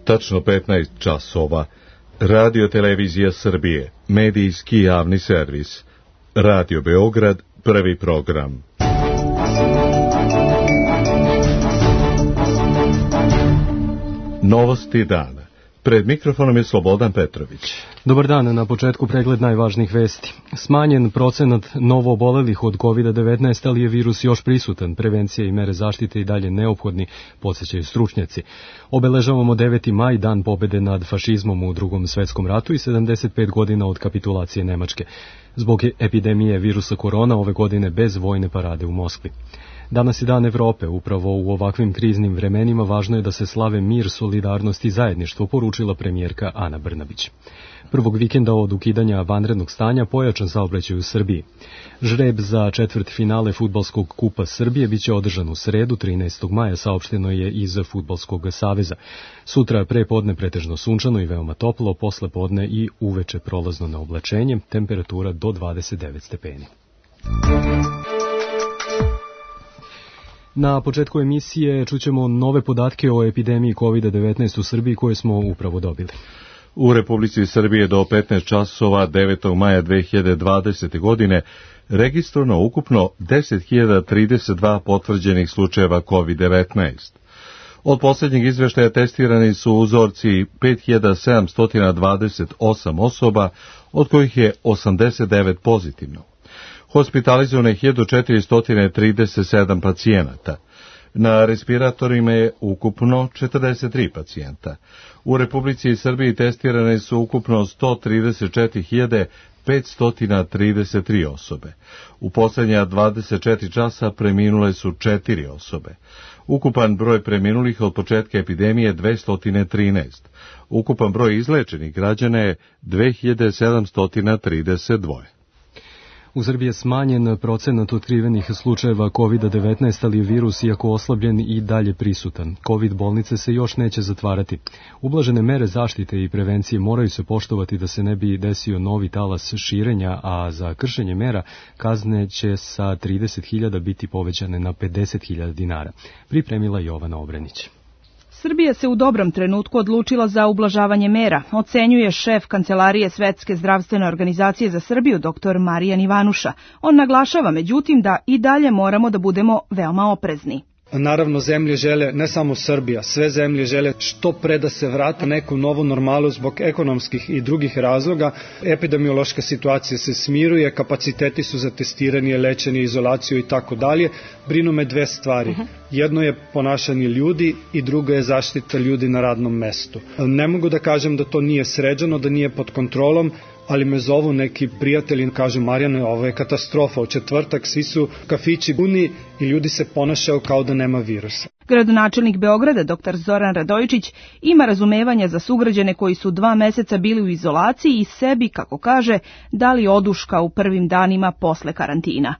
Tačno 15 časova. Radio Televizija Srbije, medijski javni servis. Radio Beograd, prvi program. Novosti dana. Pred mikrofonom je Slobodan Petrović. Dobar dan, na početku pregled najvažnijih vesti. Smanjen procenat novoobolelih od COVID-19, ali je virus još prisutan. Prevencija i mere zaštite i dalje neophodni, podsjećaju stručnjaci. Obeležavamo 9. maj, dan pobede nad fašizmom u Drugom svetskom ratu i 75 godina od kapitulacije Nemačke. Zbog epidemije virusa korona ove godine bez vojne parade u Moskvi. Danas je Dan Evrope, upravo u ovakvim kriznim vremenima važno je da se slave mir, solidarnost i zajedništvo, poručila premijerka Ana Brnabić. Prvog vikenda od ukidanja vanrednog stanja pojačan saobraćaj u Srbiji. Žreb za četvrtfinale fudbalskog kupa Srbije biće održan u sredu, 13. maja, saopšteno je iz Fudbalskog saveza. Sutra pre podne pretežno sunčano i veoma toplo, posle podne i uveče prolazno na oblačenje, temperatura do 29 stepeni. Na početku emisije čućemo nove podatke o epidemiji COVID-19 u Srbiji koje smo upravo dobili. U Republici Srbije do 15 časova 9. maja 2020. godine registrovano ukupno 10.032 potvrđenih slučajeva COVID-19. Od posljednjeg izveštaja testirani su uzorci 5.728 osoba, od kojih je 89 pozitivno. Hospitalizovano je 1437 pacijenata. Na respiratorima je ukupno 43 pacijenta. U Republici Srbiji testirane su ukupno 134.533 osobe. U posljednja 24 časa preminule su 4 osobe. Ukupan broj preminulih od početka epidemije je 213. Ukupan broj izlečenih građana je 2732. U Srbiji je smanjen procenat otkrivenih slučajeva COVID-19, ali je virus, iako oslabljen, i dalje prisutan. COVID bolnice se još neće zatvarati. Ublažene mere zaštite i prevencije moraju se poštovati da se ne bi desio novi talas širenja, a za kršenje mera kazne će sa 30.000 biti povećane na 50.000 dinara. Pripremila Jovana Obrenić. Srbija se u dobrom trenutku odlučila za ublažavanje mera, ocenjuje šef Kancelarije Svetske zdravstvene organizacije za Srbiju, dr. Marijan Ivanuša. On naglašava, međutim, da i dalje moramo da budemo veoma oprezni. Naravno, zemlje žele, ne samo Srbija, sve zemlje žele što pre da se vrate neku novu normalu zbog ekonomskih i drugih razloga. Epidemiološka situacija se smiruje, kapaciteti su za testiranje, lečenje, izolaciju i tako dalje. Brinu me dve stvari. Jedno je ponašanje ljudi i drugo je zaštita ljudi na radnom mestu. Ne mogu da kažem da to nije sređeno, da nije pod kontrolom, ali me zovu neki prijatelji, kažu: Marijane, ovo je katastrofa, u četvrtak svi su kafići puni i ljudi se ponašaju kao da nema virusa. Gradonačelnik Beograda, dr. Zoran Radojičić, ima razumevanja za sugrađane koji su 2 meseca bili u izolaciji i sebi, kako kaže, dali oduška u prvim danima posle karantina.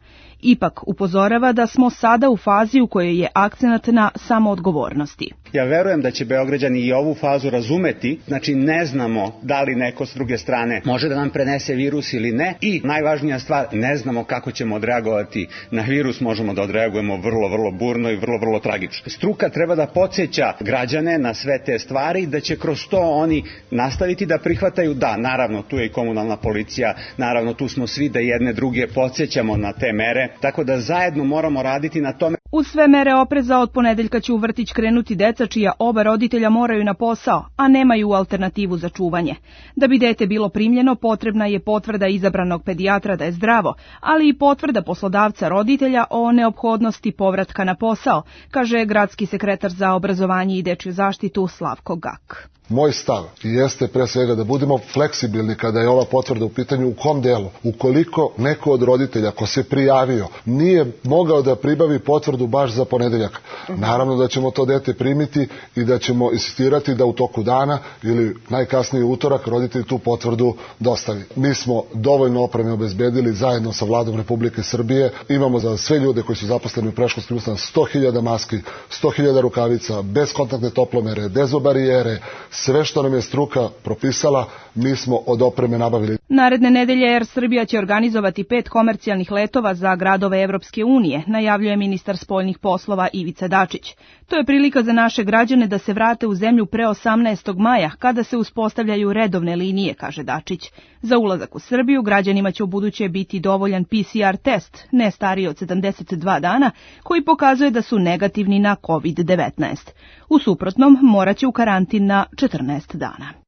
Ipak upozorava da smo sada u fazi u kojoj je akcenat na samoodgovornosti. Ja verujem da će Beograđani i ovu fazu razumeti, znači ne znamo da li neko s druge strane može da nam prenese virus ili ne, i najvažnija stvar, ne znamo kako ćemo odreagovati na virus, možemo da odreagujemo vrlo burno i vrlo tragično. Struka treba da podsjeća građane na sve te stvari, da će kroz to oni nastaviti da prihvataju, da, naravno tu je i komunalna policija, naravno tu smo svi da jedne druge podsjećamo na te mere, tako da zajedno moramo raditi na tome. Uz sve mere opreza od ponedeljka će u vrtić krenuti deca čija oba roditelja moraju na posao, a nemaju alternativu za čuvanje. Da bi dete bilo primljeno, potrebna je potvrda izabranog pedijatra da je zdravo, ali i potvrda poslodavca roditelja o neophodnosti povratka na posao, kaže gradski sekretar za obrazovanje i dečju zaštitu Slavko Gak. Moj stav jeste pre svega da budemo fleksibilni kada je ova potvrda u pitanju. U kom delu? Ukoliko neko od roditelja ko se prijavio nije mogao da pribavi potvrdu baš za ponedeljak, naravno da ćemo to dete primiti i da ćemo insistirati da u toku dana ili najkasnije utorak roditelj tu potvrdu dostavi. Mi smo dovoljno opreme obezbedili zajedno sa Vladom Republike Srbije. Imamo za sve ljude koji su zaposleni u predškolskim ustanovama 100.000 maski, 100.000 rukavica, bezkontaktne toplomere, dezobarijere, sve što nam je struka propisala, mi smo od opreme nabavili. Naredne nedelje Air Srbija će organizovati 5 komercijalnih letova za gradove Evropske unije, najavljuje ministar spoljne spoljnih poslova Ivica Dačić. To je prilika za naše građane da se vrate u zemlju pre 18. maja, kada se uspostavljaju redovne linije, kaže Dačić. Za ulazak u Srbiju građanima će ubuduće biti dovoljan PCR test, ne stariji od 72 dana, koji pokazuje da su negativni na COVID-19. U suprotnom, morat će u karantin na 14 dana.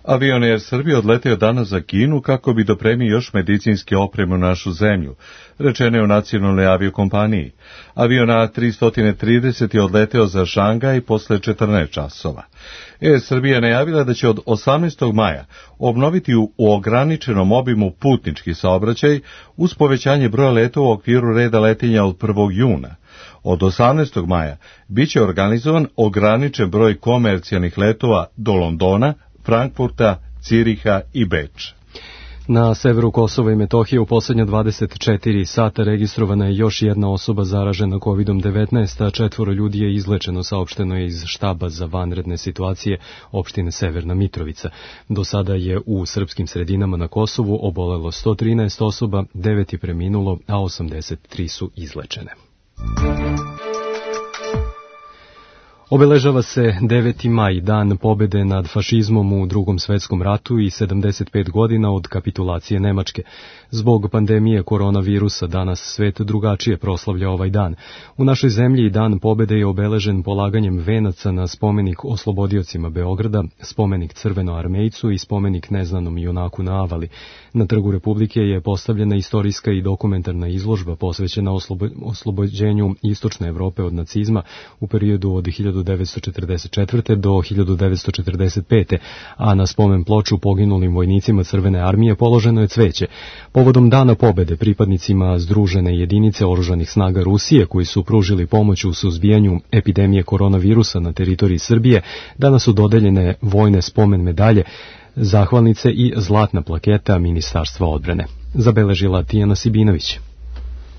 Avion Air Srbije odletio danas za Kinu kako bi dopremio još medicinske opreme u našu zemlju, rečeno je u nacionalnoj aviokompaniji. Avion A330 je odleteo za Šangaj posle 14 časova. Air Srbija najavila da će od 18. maja obnoviti u ograničenom obimu putnički saobraćaj uz povećanje broja letova u okviru reda letenja od 1. juna. Od 18. maja biće organizovan ograničen broj komercijalnih letova do Londona, Frankfurta, Ciriha i Beča. Na severu Kosova i Metohije u poslednja 24 sata registrovana je još jedna osoba zaražena COVID-19, a 4 ljudi je izlečeno, saopšteno je iz štaba za vanredne situacije opštine Severna Mitrovica. Do sada je u srpskim sredinama na Kosovu obolelo 113 osoba, 9 je preminulo, a 83 su izlečene. Obeležava se 9. maj, dan pobede nad fašizmom u Drugom svetskom ratu i 75 godina od kapitulacije Nemačke. Zbog pandemije koronavirusa danas svet drugačije proslavlja ovaj dan. U našoj zemlji dan pobede je obeležen polaganjem venaca na spomenik oslobodiocima Beograda, spomenik Crvenoarmejcu i spomenik neznanom junaku na Avali. Na Trgu Republike je postavljena istorijska i dokumentarna izložba posvećena oslobođenju Istočne Evrope od nacizma u periodu od 1944. do 1945. a na spomen ploču poginulim vojnicima Crvene armije položeno je cveće. Povodom dana pobede pripadnicima združene jedinice oružanih snaga Rusije koji su pružili pomoć u suzbijanju epidemije koronavirusa na teritoriji Srbije, danas su dodeljene vojne spomen medalje, zahvalnice i zlatna plaketa Ministarstva odbrane. Zabeležila Tijana Sibinović.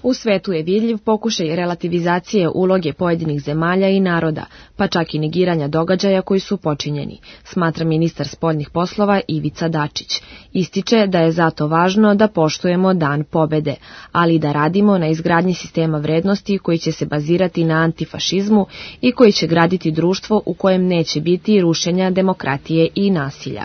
U svetu je vidljiv pokušaj relativizacije uloge pojedinih zemalja i naroda, pa čak i negiranja događaja koji su počinjeni, smatra ministar spoljnih poslova Ivica Dačić. Ističe da je zato važno da poštujemo dan pobede, ali i da radimo na izgradnji sistema vrednosti koji će se bazirati na antifašizmu i koji će graditi društvo u kojem neće biti rušenja demokratije i nasilja.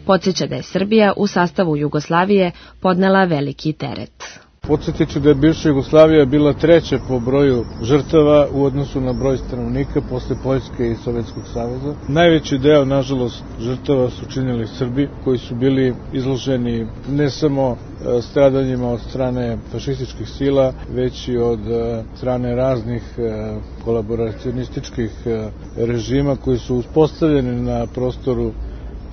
Podsjeća da je Srbija u sastavu Jugoslavije podnela veliki teret. Podsjetit ću da je bivša Jugoslavija bila treća po broju žrtava u odnosu na broj stanovnika posle Poljske i Sovjetskog saveza. Najveći deo, nažalost, žrtava su činili Srbi, koji su bili izloženi ne samo stradanjima od strane fašističkih sila, već i od strane raznih kolaboracionističkih režima koji su uspostavljeni na prostoru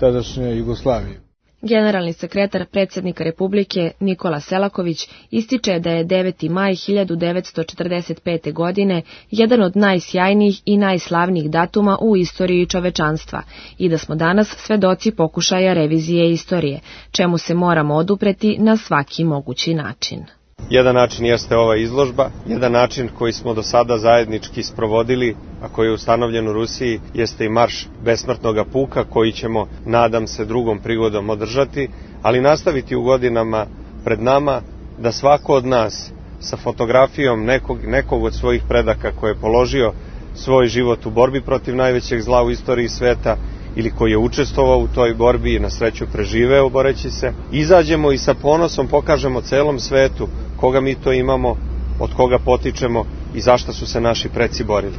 tadašnje Jugoslavije. Generalni sekretar predsjednika Republike Nikola Selaković ističe da je 9. maj 1945. godine jedan od najsjajnijih i najslavnijih datuma u istoriji čovečanstva i da smo danas svedoci pokušaja revizije istorije, čemu se moramo odupreti na svaki mogući način. Jedan način jeste ova izložba, jedan način koji smo do sada zajednički sprovodili, a koji je ustanovljen u Rusiji, jeste i marš besmrtnog puka koji ćemo, nadam se, drugom prigodom održati, ali nastaviti u godinama pred nama da svako od nas sa fotografijom nekog od svojih predaka koji je položio svoj život u borbi protiv najvećeg zla u istoriji sveta ili koji je učestvovao u toj borbi i na sreću preživeo boreći se, izađemo i sa ponosom pokažemo celom svetu koga mi to imamo, od koga potičemo i zašto su se naši preci borili.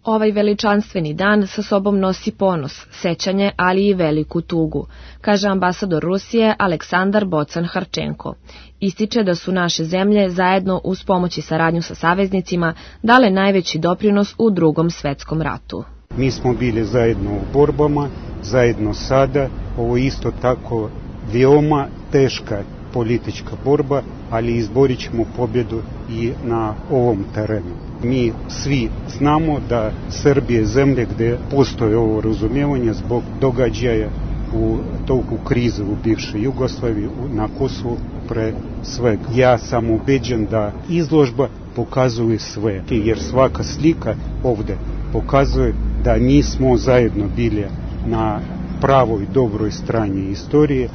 Ovaj veličanstveni dan sa sobom nosi ponos, sećanje, ali i veliku tugu, kaže ambasador Rusije Aleksandar Bocan-Harčenko. Ističe da su naše zemlje zajedno uz pomoć i saradnju sa saveznicima dale najveći doprinos u Drugom svetskom ratu. Mi smo bili zajedno u borbama, zajedno sada, ovo isto tako veoma teška politička borba, ali izborit ćemo pobjedu i na ovom terenu. Mi svi znamo da Srbija je zemlja gde postoje ovo razumijevanje zbog događaja u toku krize u bivšoj Jugoslaviji, na Kosovu pre svega. Ja sam ubeđen da izložba pokazuje sve, jer svaka slika ovde pokazuje da mi smo zajedno bili na pravoj dobroj strani istorije.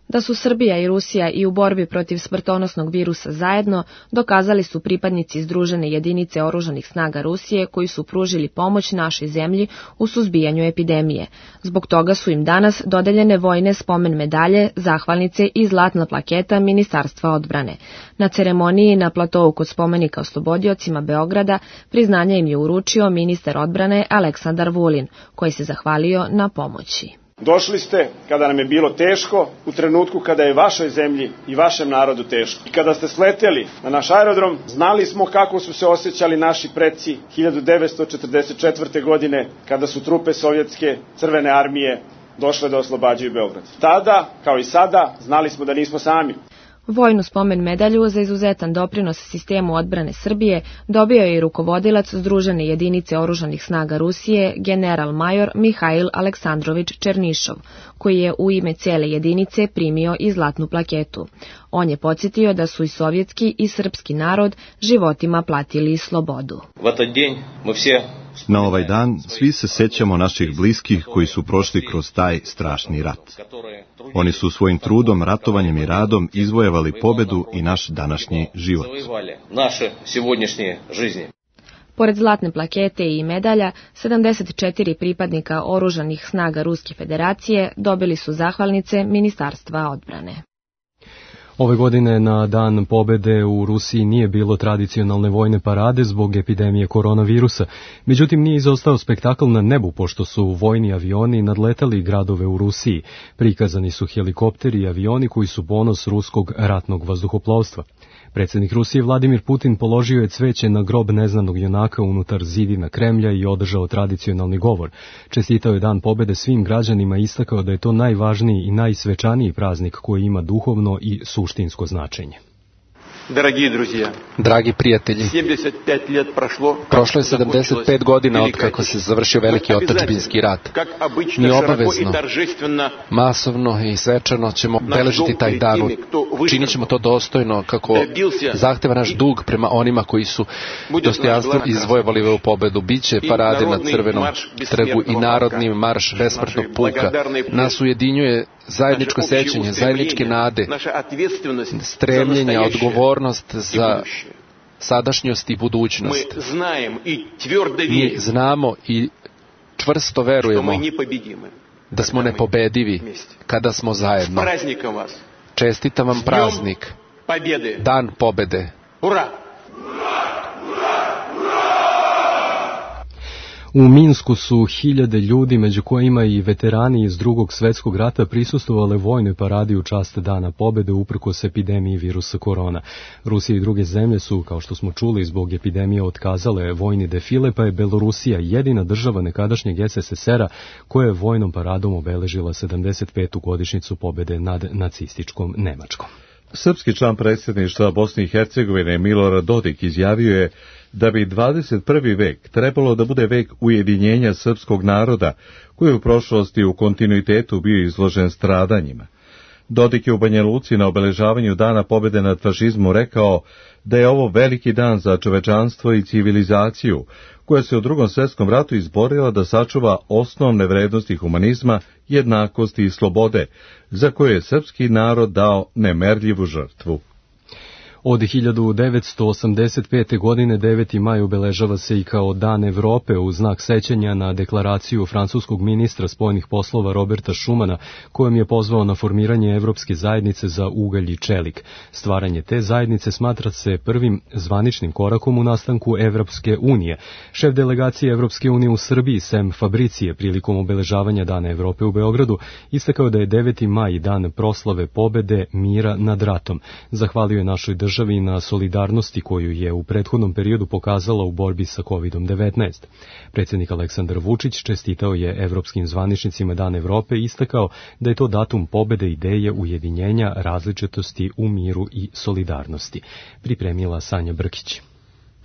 Da su Srbija i Rusija i u borbi protiv smrtonosnog virusa zajedno, dokazali su pripadnici Združene jedinice oružanih snaga Rusije koji su pružili pomoć našoj zemlji u suzbijanju epidemije. Zbog toga su im danas dodeljene vojne spomen medalje, zahvalnice i zlatna plaketa Ministarstva odbrane. Na ceremoniji na platovu kod spomenika oslobodiocima Beograda priznanja im je uručio ministar odbrane Aleksandar Vulin, koji se zahvalio na pomoći. Došli ste kada nam je bilo teško, u trenutku kada je vašoj zemlji i vašem narodu teško. I kada ste sleteli na naš aerodrom, znali smo kako su se osjećali naši preci 1944. godine, kada su trupe Sovjetske crvene armije došle da oslobađaju Beograd. Tada, kao i sada, znali smo da nismo sami. Vojnu spomen medalju za izuzetan doprinos sistemu odbrane Srbije dobio je i rukovodilac Združene jedinice oružanih snaga Rusije, general major Mihail Aleksandrović Černišov, koji je u ime cele jedinice primio i zlatnu plaketu. On je podsjetio da su i sovjetski i srpski narod životima platili slobodu. Na ovaj dan svi se sećamo naših bliskih koji su prošli kroz taj strašni rat. Oni su svojim trudom, ratovanjem i radom izvojevali pobedu i naš današnji život. Pored zlatne plakete i medalja, 74 pripadnika oružanih snaga Ruske federacije dobili su zahvalnice Ministarstva odbrane. Ove godine na Dan pobede u Rusiji nije bilo tradicionalne vojne parade zbog epidemije koronavirusa, međutim nije izostao spektakl na nebu pošto su vojni avioni nadletali gradove u Rusiji. Prikazani su helikopteri i avioni koji su ponos ruskog ratnog vazduhoplovstva. Predsjednik Rusije Vladimir Putin položio je cveće na grob neznanog junaka unutar zidina Kremlja i održao tradicionalni govor. Čestitao je Dan pobede svim građanima i istakao da je to najvažniji i najsvečaniji praznik koji ima duhovno i suštinsko značenje. Dragi prijatelji, prošlo je 75 godina od kako se završio veliki otadžbinski rat. Mi obavezno, masovno i svečano ćemo beležiti taj dan. Činit ćemo to dostojno kako zahteva naš dug prema onima koji su dostojanstveno izvojevali ovu pobedu. Biće parade na Crvenom trgu i narodni marš besmrtnog puka. Nas ujedinjuje zajedničko sećanje, zajedničke nade, stremljenja, odgovornost za sadašnjost i budućnost. Mi znamo i čvrsto verujemo da smo nepobedivi kada smo zajedno. Čestitam vam praznik, Dan pobede. U Minsku su hiljade ljudi, među kojima i veterani iz Drugog svjetskog rata, prisustvovale vojnoj paradi u čast Dana pobede uprkos epidemiji virusa korona. Rusija i druge zemlje su, kao što smo čuli, zbog epidemije otkazale vojni defile, pa je Belorusija jedina država nekadašnjeg SSSR-a koja je vojnom paradom obeležila 75. godišnjicu pobede nad nacističkom Nemačkom. Srpski član predsjedništva Bosne i Hercegovine Milorad Dodik izjavio je da bi 21. vek trebalo da bude vek ujedinjenja srpskog naroda, koji je u prošlosti u kontinuitetu bio izložen stradanjima. Dodik je u Banja Luci na obeležavanju Dana pobede nad fašizmom rekao da je ovo veliki dan za čovečanstvo i civilizaciju, koja se u Drugom svjetskom ratu izborila da sačuva osnovne vrednosti humanizma, jednakosti i slobode, za koje je srpski narod dao nemerljivu žrtvu. Od 1985. godine 9. maj obeležava se i kao Dan Evrope u znak sećanja na deklaraciju francuskog ministra spoljnih poslova Roberta Schumana, kojom je pozvao na formiranje Evropske zajednice za ugalj i čelik. Stvaranje te zajednice smatra se prvim zvaničnim korakom u nastanku Evropske unije. Šef delegacije Evropske unije u Srbiji, Sem Fabricije, prilikom obeležavanja Dana Evrope u Beogradu, istakao da je 9. maj dan proslave pobede mira nad ratom. Zahvalio je našoj državi na solidarnosti koju je u prethodnom periodu pokazala u borbi sa COVID-19. Predsjednik Aleksandar Vučić čestitao je evropskim zvaničnicima Dan Evrope i istakao da je to datum pobede ideje ujedinjenja različitosti u miru i solidarnosti. Pripremila Sanja Brkić.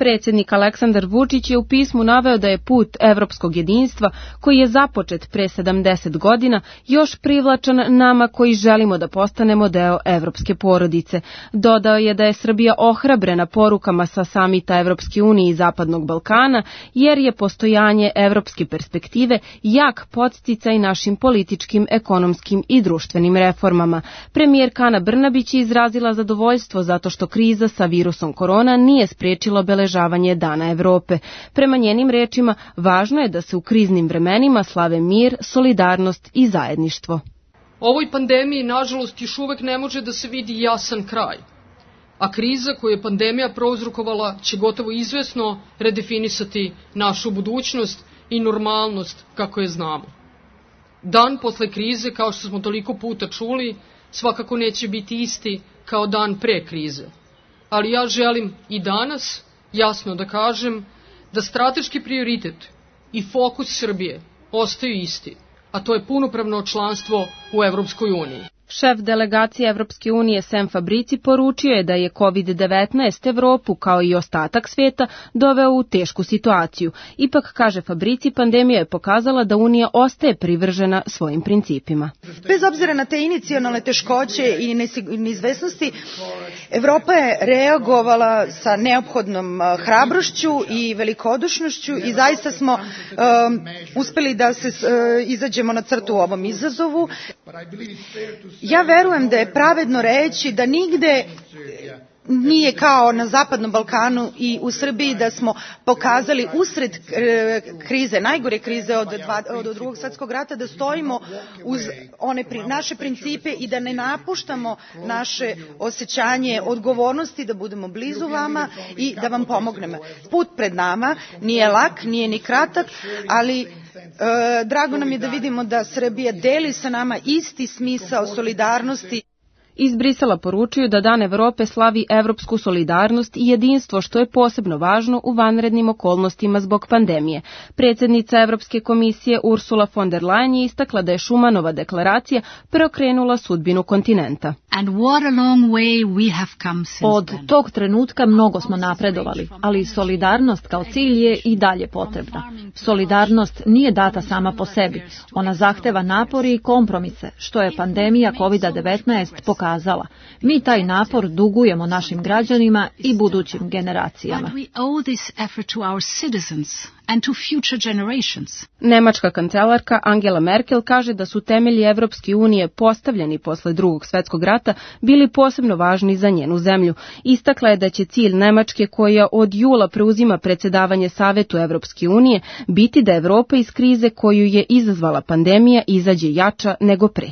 Predsjednik Aleksandar Vučić je u pismu naveo da je put evropskog jedinstva, koji je započet pre 70 godina, još privlačan nama koji želimo da postanemo deo evropske porodice. Dodao je da je Srbija ohrabrena porukama sa samita Evropske unije i Zapadnog Balkana, jer je postojanje evropske perspektive jak podsticaj našim političkim, ekonomskim i društvenim reformama. Premijerka Ana Brnabić je izrazila zadovoljstvo zato što kriza sa virusom korona nije spriječila obeležavanje Dana Evrope. Prema njenim rečima, važno je da se u kriznim vremenima slave mir, solidarnost i zajedništvo. Ovoj pandemiji, nažalost, još uvek ne može da se vidi jasan kraj, a kriza koju je pandemija prouzrokovala će gotovo izvesno redefinisati našu budućnost i normalnost kako je znamo. Dan posle krize, kao što smo toliko puta čuli, svakako neće biti isti kao dan pre krize. Ali ja želim i danas jasno da kažem da strateški prioritet i fokus Srbije ostaju isti, a to je punopravno članstvo u Evropskoj uniji. Šef delegacije Evropske unije Sem Fabrici poručio je da je COVID-19 Evropu, kao i ostatak svijeta, doveo u tešku situaciju. Ipak, kaže Fabrici, pandemija je pokazala da Unija ostaje privržena svojim principima. Bez obzira na te inicijalne teškoće i neizvesnosti, Evropa je reagovala sa neophodnom hrabrošću i velikodušnošću i zaista smo uspeli da se izađemo na crtu u ovom izazovu. Ja verujem da je pravedno reći da nigde nije kao na Zapadnom Balkanu i u Srbiji da smo pokazali usred krize, najgore krize od Drugog svjetskog rata, da stojimo uz naše principe i da ne napuštamo naše osjećanje odgovornosti, da budemo blizu vama i da vam pomognemo. Put pred nama nije lak, nije ni kratak, ali drago nam je da vidimo da Srbija deli sa nama isti smisao solidarnosti. Iz Brisela poručuju da Dan Evrope slavi evropsku solidarnost i jedinstvo, što je posebno važno u vanrednim okolnostima zbog pandemije. Predsjednica Evropske komisije Ursula von der Leyen je istakla da je Šumanova deklaracija preokrenula sudbinu kontinenta. Od tog trenutka mnogo smo napredovali, ali solidarnost kao cilj je i dalje potrebna. Solidarnost nije data sama po sebi. Ona zahteva napori i kompromise, što je pandemija COVID-19 pokazala. Mi taj napor dugujemo našim građanima i budućim generacijama. Nemačka kancelarka Angela Merkel kaže da su temelji Evropske unije postavljeni posle Drugog svjetskog rata bili posebno važni za njenu zemlju. Istakla je da će cilj Nemačke, koja od jula preuzima predsjedavanje Savetu Evropske unije, biti da Evropa iz krize koju je izazvala pandemija izađe jača nego pre.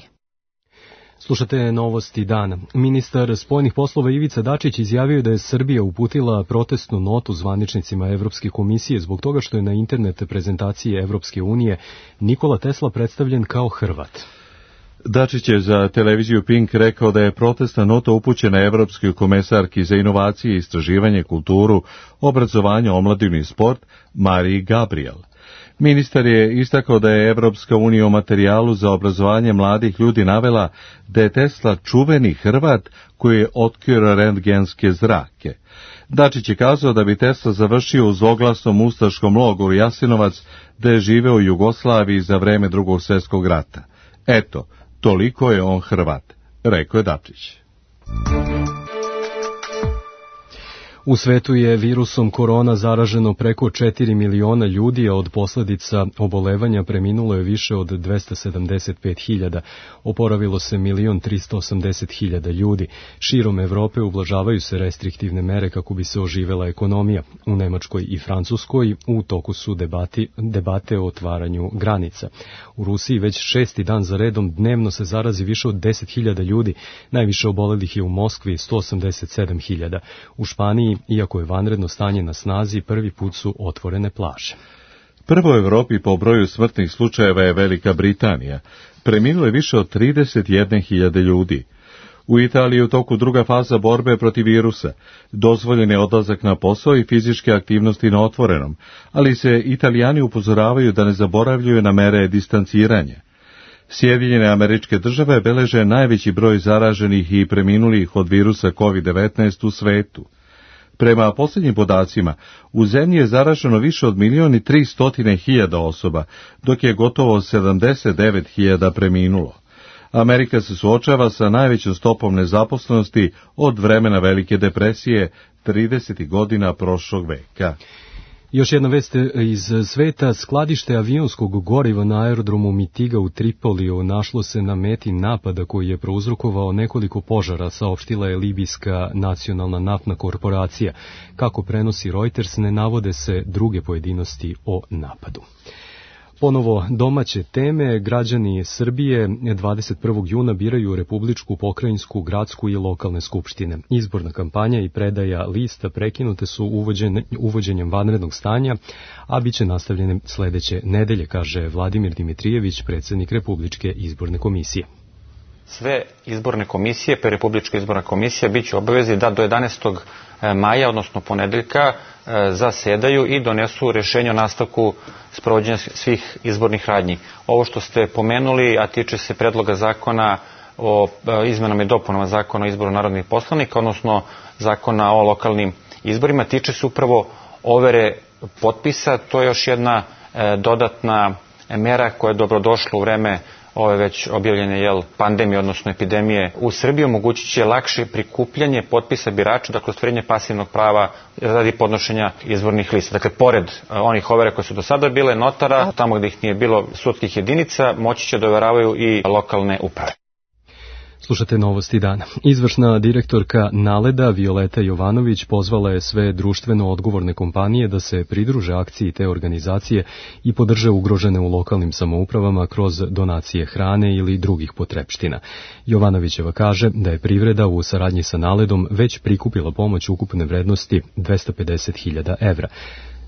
Slušate novosti dana. Ministar spoljnih poslova Ivica Dačić izjavio da je Srbija uputila protestnu notu zvaničnicima Evropske komisije zbog toga što je na internet prezentaciji Evropske unije Nikola Tesla predstavljen kao Hrvat. Dačić je za televiziju Pink rekao da je protestna nota upućena Evropskoj komesarki za inovacije, istraživanje, kulturu, obrazovanje, omladinu i sport Mariji Gabriel. Ministar je istakao da je Evropska unija u materijalu za obrazovanje mladih ljudi navela da je Tesla čuveni Hrvat koji je otkrio rentgenske zrake. Dačić je kazao da bi Tesla završio u zloglasnom ustaškom logoru Jasenovac, da je živeo u Jugoslaviji za vreme Drugog svjetskog rata. Eto, toliko je on Hrvat, rekao je Dačić. U svetu je virusom korona zaraženo preko 4 miliona ljudi, a od posljedica obolevanja preminulo je više od 275.000. Oporavilo se 1.380.000 ljudi. Širom Evrope ublažavaju se restriktivne mere kako bi se oživela ekonomija. U Nemačkoj i Francuskoj u toku su debate o otvaranju granica. U Rusiji već 6. dan za redom dnevno se zarazi više od 10.000 ljudi. Najviše obolelih je u Moskvi 187.000. U Španiji, iako je vanredno stanje na snazi, prvi put su otvorene plaže. Prvo u Evropi po broju smrtnih slučajeva je Velika Britanija. Preminulo je više od 31.000 ljudi. U Italiji je u toku druga faza borbe protiv virusa. Dozvoljen je odlazak na posao i fizičke aktivnosti na otvorenom, ali se Italijani upozoravaju da ne zaboravljaju na mere distanciranja. Sjedinjene Američke Države beleže najveći broj zaraženih i preminulih od virusa COVID-19 u svetu. Prema posljednjim podacima, u zemlji je zaraženo više od 1.300.000 osoba, dok je gotovo 79.000 preminulo. Amerika se suočava sa najvećom stopom nezaposlenosti od vremena Velike depresije 30. godina prošlog veka. Još jedna vest iz sveta. Skladište avionskog goriva na aerodromu Mitiga u Tripoliju našlo se na meti napada koji je prouzrokovao nekoliko požara, saopštila je Libijska nacionalna naftna korporacija. Kako prenosi Reuters, ne navode se druge pojedinosti o napadu. Ponovo domaće teme. Građani Srbije 21. juna biraju republičku, pokrajinsku, gradsku i lokalne skupštine. Izborna kampanja i predaja lista prekinute su uvođenjem vanrednog stanja, a bit će nastavljene sledeće nedelje, kaže Vladimir Dimitrijević, predsjednik Republičke izborne komisije. Sve izborne komisije, pa Republička izborna komisija, bit će obavezi da do 11. maja, odnosno ponedeljka, zasedaju i donesu rješenje o nastavku sprovođenja svih izbornih radnji. Ovo što ste pomenuli, a tiče se predloga zakona o izmenama i dopunama zakona o izboru narodnih poslanika, odnosno zakona o lokalnim izborima, tiče se upravo overe potpisa. To je još jedna dodatna mera koja je dobrodošla u vreme ove već objavljene pandemije, odnosno epidemije u Srbiji. Omogućit će lakše prikupljanje potpisa birača, dakle ostvarenje pasivnog prava radi podnošenja izbornih lista. Dakle, pored onih overa koje su do sada bile, notara, tamo gdje ih nije bilo sudskih jedinica, moći će da overavaju i lokalne uprave. Slušate novosti dana. Izvršna direktorka Naleda Violeta Jovanović pozvala je sve društveno odgovorne kompanije da se pridruže akciji te organizacije i podrže ugrožene u lokalnim samoupravama kroz donacije hrane ili drugih potrepština. Jovanovićeva kaže da je privreda u saradnji sa Naledom već prikupila pomoć ukupne vrednosti 250.000 evra.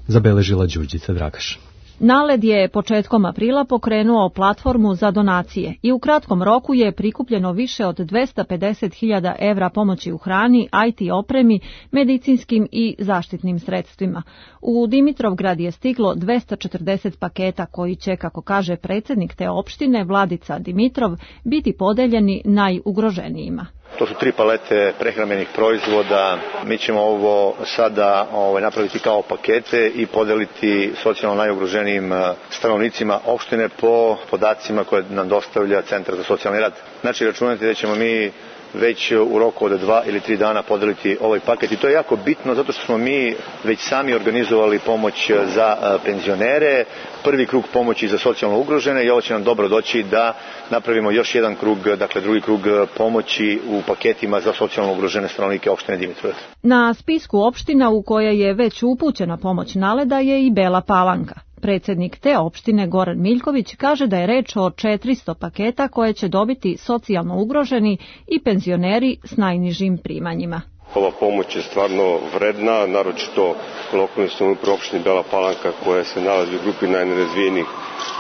Zabeležila Đurđica Dragaš. Naled je početkom aprila pokrenuo platformu za donacije i u kratkom roku je prikupljeno više od 250.000 evra pomoći u hrani, IT opremi, medicinskim i zaštitnim sredstvima. U Dimitrovgrad je stiglo 240 paketa koji će, kako kaže predsjednik te opštine Vladica Dimitrov, biti podeljeni najugroženijima. To su 3 palete prehrambenih proizvoda. Mi ćemo ovo sada napraviti kao pakete i podeliti socijalno najugroženijim stanovnicima opštine po podacima koje nam dostavlja Centar za socijalni rad. Znači, računajte da ćemo mi već u roku od 2 ili 3 dana podeliti ovaj paket i to je jako bitno zato što smo mi već sami organizovali pomoć za penzionere, prvi krug pomoći za socijalno ugrožene i ovo će nam dobro doći da napravimo još jedan krug, dakle drugi krug pomoći u paketima za socijalno ugrožene stanovnike opštine Dimitrovgrad. Na spisku opština u koje je već upućena pomoć Naleda je i Bela Palanka. Predsjednik te opštine Goran Miljković kaže da je reč o 400 paketa koje će dobiti socijalno ugroženi i penzioneri s najnižim primanjima. Ova pomoć je stvarno vredna, naročito lokalnoj samoupravi opštine Bela Palanka koja se nalazi u grupi najnerazvijenijih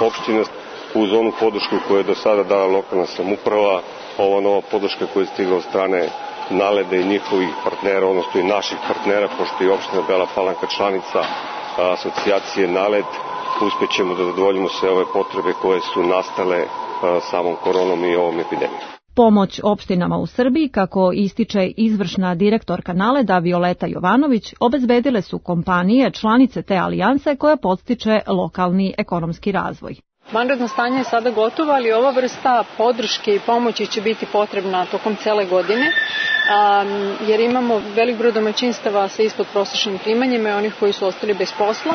opština. Uz onu podršku koju je do sada dala lokalna samouprava, ova nova podrška koja je stigla od strane Naleda i njihovih partnera, odnosno i naših partnera, pošto je opština Bela Palanka članica asocijacije Naled, uspjećemo da zadovoljimo sve ove potrebe koje su nastale samom koronom i ovom epidemijom. Pomoć opštinama u Srbiji, kako ističe izvršna direktorka Naleda Violeta Jovanović, obezbedile su kompanije članice te alijanse koja podstiče lokalni ekonomski razvoj. Vanredno stanje je sada gotovo, ali ova vrsta podrške i pomoći će biti potrebna tokom cele godine, jer imamo velik broj domaćinstava sa ispod prosječnim primanjima i onih koji su ostali bez posla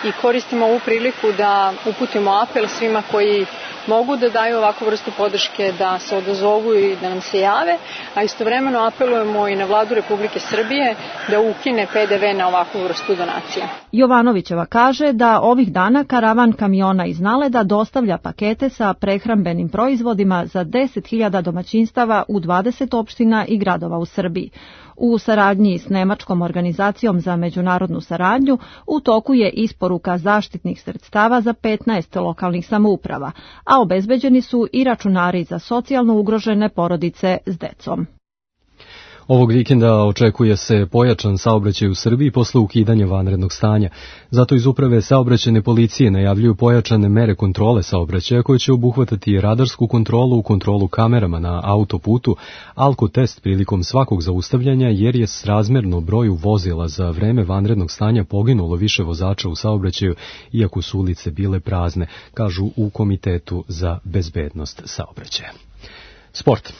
i koristimo ovu priliku da uputimo apel svima koji mogu da daju ovakvu vrstu podrške da se odazovu i da nam se jave, a istovremeno apelujemo i na Vladu Republike Srbije da ukine PDV na ovakvu vrstu donacija. Jovanovićeva kaže da ovih dana karavan kamiona iz Naleda dostavlja pakete sa prehrambenim proizvodima za 10.000 domaćinstava u 20 opština i gradova u Srbiji. U saradnji s Nemačkom organizacijom za međunarodnu saradnju u toku je isporuka zaštitnih sredstava za 15 lokalnih samouprava, a obezbeđeni su i računari za socijalno ugrožene porodice s decom. Ovog vikenda očekuje se pojačan saobraćaj u Srbiji posle ukidanja vanrednog stanja. Zato iz Uprave saobraćajne policije najavljuju pojačane mere kontrole saobraćaja koje će obuhvatati radarsku kontrolu, kontrolu kamerama na autoputu, alkotest prilikom svakog zaustavljanja, jer je srazmerno broju vozila za vreme vanrednog stanja poginulo više vozača u saobraćaju, iako su ulice bile prazne, kažu u Komitetu za bezbednost saobraćaja. Sport.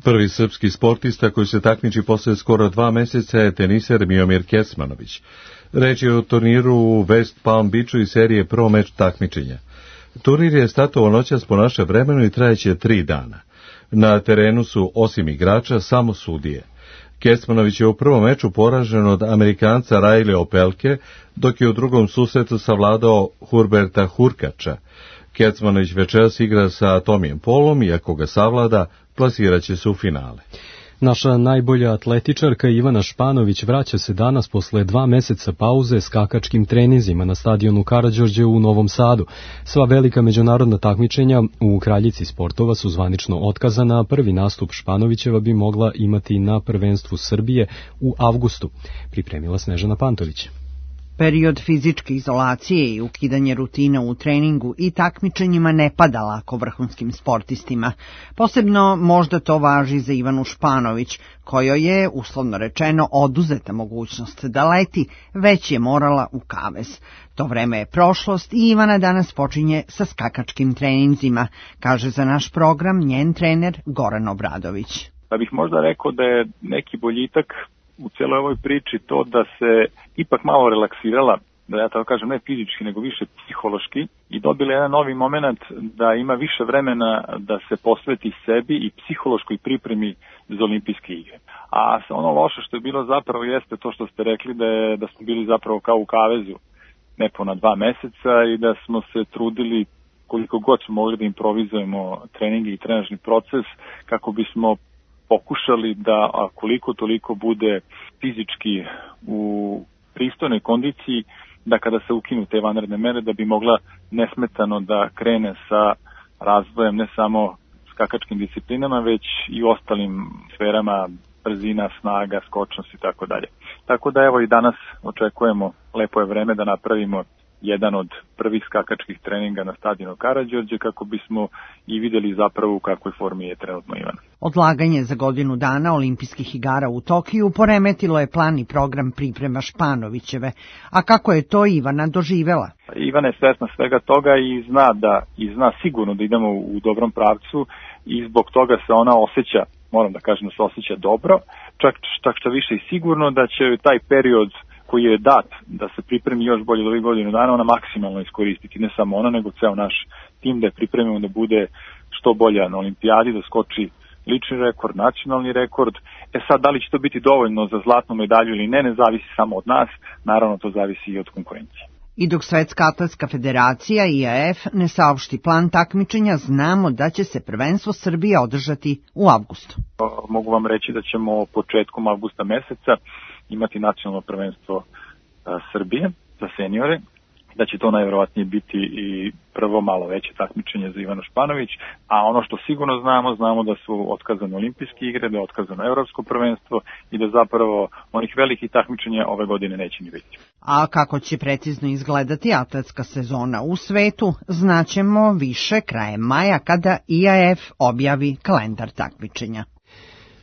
Prvi srpski sportista koji se takmiči posle skoro 2 meseca je teniser Miomir Kecmanović. Reč je o turniru u West Palm Beachu i serije Pro meč takmičenja. Turnir je startovao noćas po naše vremenu i trajeće 3 dana. Na terenu su, osim igrača, samo sudije. Kecmanović je u prvom meču poražen od Amerikanca Riley Opelke, dok je u drugom susretu savladao Hurberta Hurkača. Kecmanović večeras igra sa Tomijem Polom i ako ga savlada, plasiraće se u finale. Naša najbolja atletičarka Ivana Španović vraća se danas posle 2 meseca pauze skakačkim treninzima na stadionu Karađorđe u Novom Sadu. Sva velika međunarodna takmičenja u kraljici sportova su zvanično otkazana, a prvi nastup Španovićeva bi mogla imati na prvenstvu Srbije u avgustu. Pripremila Snežana Pantović. Period fizičke izolacije i ukidanje rutina u treningu i takmičenjima ne pada lako vrhunskim sportistima. Posebno možda to važi za Ivanu Španović, kojoj je, uslovno rečeno, oduzeta mogućnost da leti, već je morala u kavez. To vreme je prošlost i Ivana danas počinje sa skakačkim treninzima, kaže za naš program njen trener Goran Obradović. Pa bih možda rekao da je neki boljitak u cijeloj ovoj priči to da se ipak malo relaksirala, da ja tako kažem ne fizički nego više psihološki, i dobila jedan novi moment da ima više vremena da se posveti sebi i psihološkoj pripremi za olimpijske igre. A ono loše što je bilo zapravo jeste to što ste rekli da smo bili zapravo kao u kavezu nepuna 2 meseca i da smo se trudili koliko god smo mogli da improvizujemo treninge i trenažni proces kako bismo pokušali da koliko toliko bude fizički u pristojnoj kondiciji, da kada se ukinu te vanredne mere da bi mogla nesmetano da krene sa razvojem ne samo skakačkim disciplinama, već i ostalim sferama brzina, snaga, skočnost i tako dalje. Tako da evo i danas očekujemo, lepo je vreme da napravimo jedan od prvih skakačkih treninga na stadionu Karađorđe kako bismo i videli zapravo u kakvoj formi je trenutno Ivana. Odlaganje za godinu dana olimpijskih igara u Tokiju poremetilo je plan i program priprema Španovićeve. A kako je to Ivana doživela? Ivana je svesna svega toga i zna sigurno da idemo u dobrom pravcu i zbog toga se ona osjeća, moram da kažem da se osjeća dobro, čak što više i sigurno da će taj period koji je dat da se pripremi još bolje od ovih godinu dana, ona maksimalno iskoristiti, ne samo ona, nego ceo naš tim da je pripremimo da bude što bolja na olimpijadi, da skoči lični rekord, nacionalni rekord. Sad, da li će to biti dovoljno za zlatnu medalju ili ne zavisi samo od nas, naravno to zavisi i od konkurencije. I dok Svetska atletska federacija IAF ne saopšti plan takmičenja, znamo da će se prvenstvo Srbije održati u avgustu. Mogu vam reći da ćemo početkom avgusta meseca imati nacionalno prvenstvo Srbije za seniore, da će to najverovatnije biti i prvo malo veće takmičenje za Ivanu Španović, a ono što sigurno znamo da su otkazane olimpijske igre, da je otkazano evropsko prvenstvo i da zapravo onih velikih takmičenja ove godine neće ni biti. A kako će precizno izgledati atletska sezona u svetu, znaćemo više krajem maja kada IAF objavi kalendar takmičenja.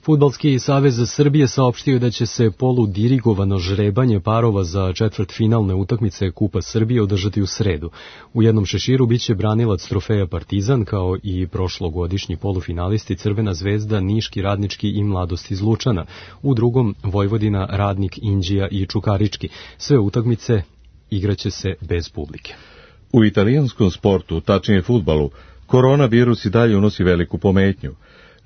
Fudbalski savez Srbije saopštio da će se poludirigovano žrebanje parova za četvrtfinalne utakmice Kupa Srbije održati u sredu. U jednom šeširu biće branilac trofeja Partizan, kao i prošlogodišnji polufinalisti Crvena zvezda, Niški, Radnički i Mladost iz Lučana. U drugom Vojvodina, Radnik, Inđija i Čukarički. Sve utakmice igraće se bez publike. U italijanskom sportu, tačnije fudbalu, koronavirus i dalje unosi veliku pometnju.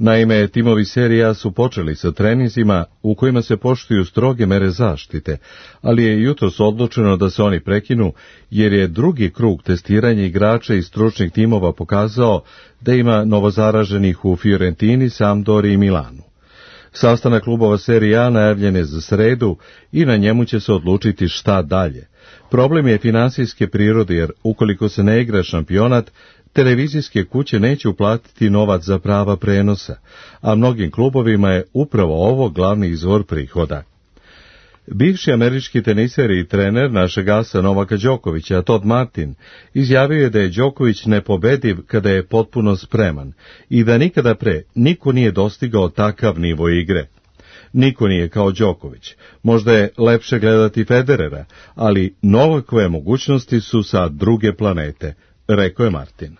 Naime, timovi Serie A su počeli sa treninzima u kojima se poštuju stroge mere zaštite, ali je jutros odlučeno da se oni prekinu jer je drugi krug testiranja igrača i stručnih timova pokazao da ima novozaraženih u Fiorentini, Sampdori i Milanu. Sastanak klubova Serije A najavljen je za sredu i na njemu će se odlučiti šta dalje. Problem je finansijske prirode jer ukoliko se ne igra šampionat, televizijske kuće neće uplatiti novac za prava prenosa, a mnogim klubovima je upravo ovo glavni izvor prihoda. Bivši američki teniser i trener našeg asa Novaka Đokovića, Todd Martin, izjavio je da je Đoković nepobediv kada je potpuno spreman i da nikada pre niko nije dostigao takav nivo igre. Niko nije kao Đoković. Možda je lepše gledati Federera, ali Novakove mogućnosti su sa druge planete, rekao je Martin.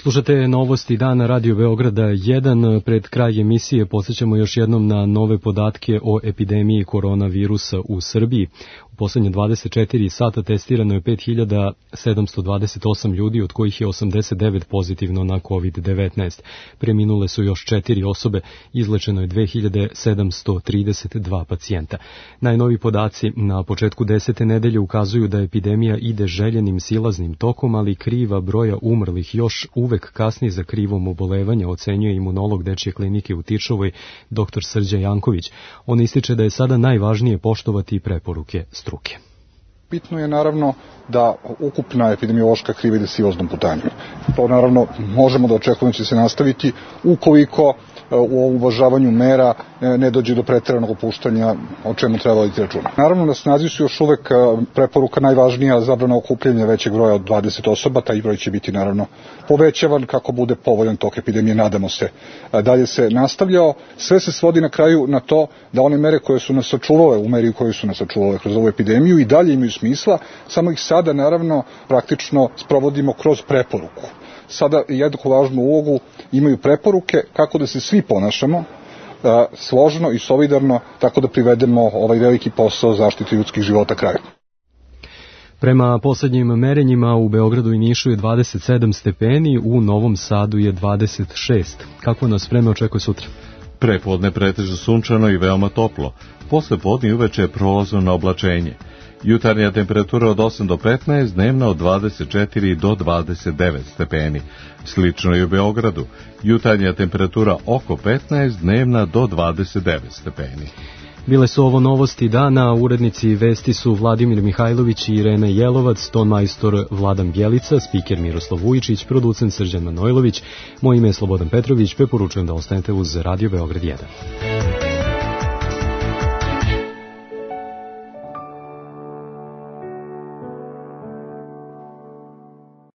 Slušate novosti dana Radio Beograda 1. Pred kraj emisije podsjećamo još jednom na nove podatke o epidemiji koronavirusa u Srbiji. U poslednje 24 sata testirano je 5728 ljudi, od kojih je 89 pozitivno na COVID-19. Preminule su još 4 osobe, izlečeno je 2732 pacijenta. Najnovi podaci na početku 10. nedelje ukazuju da epidemija ide željenim silaznim tokom, ali kriva broja umrlih još uvek kasni za krivom obolevanja, ocenjuje imunolog Dečje klinike u Tičovoj, dr. Srđan Janković. On ističe da je sada najvažnije poštovati preporuke struke. Bitno je naravno da ukupna epidemiološka kriva ide silaznom putanjom. To naravno možemo da očekujemo da će se nastaviti ukoliko u uvažavanju mera ne dođe do preteranog opuštanja, o čemu treba voditi računa. Naravno, na snazi su još uvek preporuka najvažnija zabrana okupljanja većeg broja od 20 osoba, taj broj će biti naravno povećavan kako bude povoljan tok epidemije, nadamo se. Dalje se nastavljao, sve se svodi na kraju na to da one mere koje su nas sačuvale, u meri koje su nas sačuvale kroz ovu epidemiju i dalje imaju smisla, samo ih sada naravno praktično sprovodimo kroz preporuku. Sada jednako važnu ulogu imaju preporuke kako da se svi ponašamo složno i solidarno, tako da privedemo ovaj veliki posao zaštite ljudskih života kraju. Prema poslednjim merenjima u Beogradu i Nišu je 27 stepeni, u Novom Sadu je 26. Kako nas vreme očekuje sutra? Prepodne pretežno sunčano i veoma toplo. Posle podne i uveče je prolazno na oblačenje. Jutarnja temperatura od 8 do 15, dnevna od 24 do 29 stepeni. Slično i u Beogradu. Jutarnja temperatura oko 15, dnevna do 29 stepeni. Bile su ovo novosti dana, urednici vesti su Vladimir Mihajlović i Irena Jelovac, ton majstor Vladan Bjelica, spiker Miroslav Vujičić, producent Srđan Manojlović. Moje ime je Slobodan Petrović, preporučujem da ostanete uz Radio Beograd 1.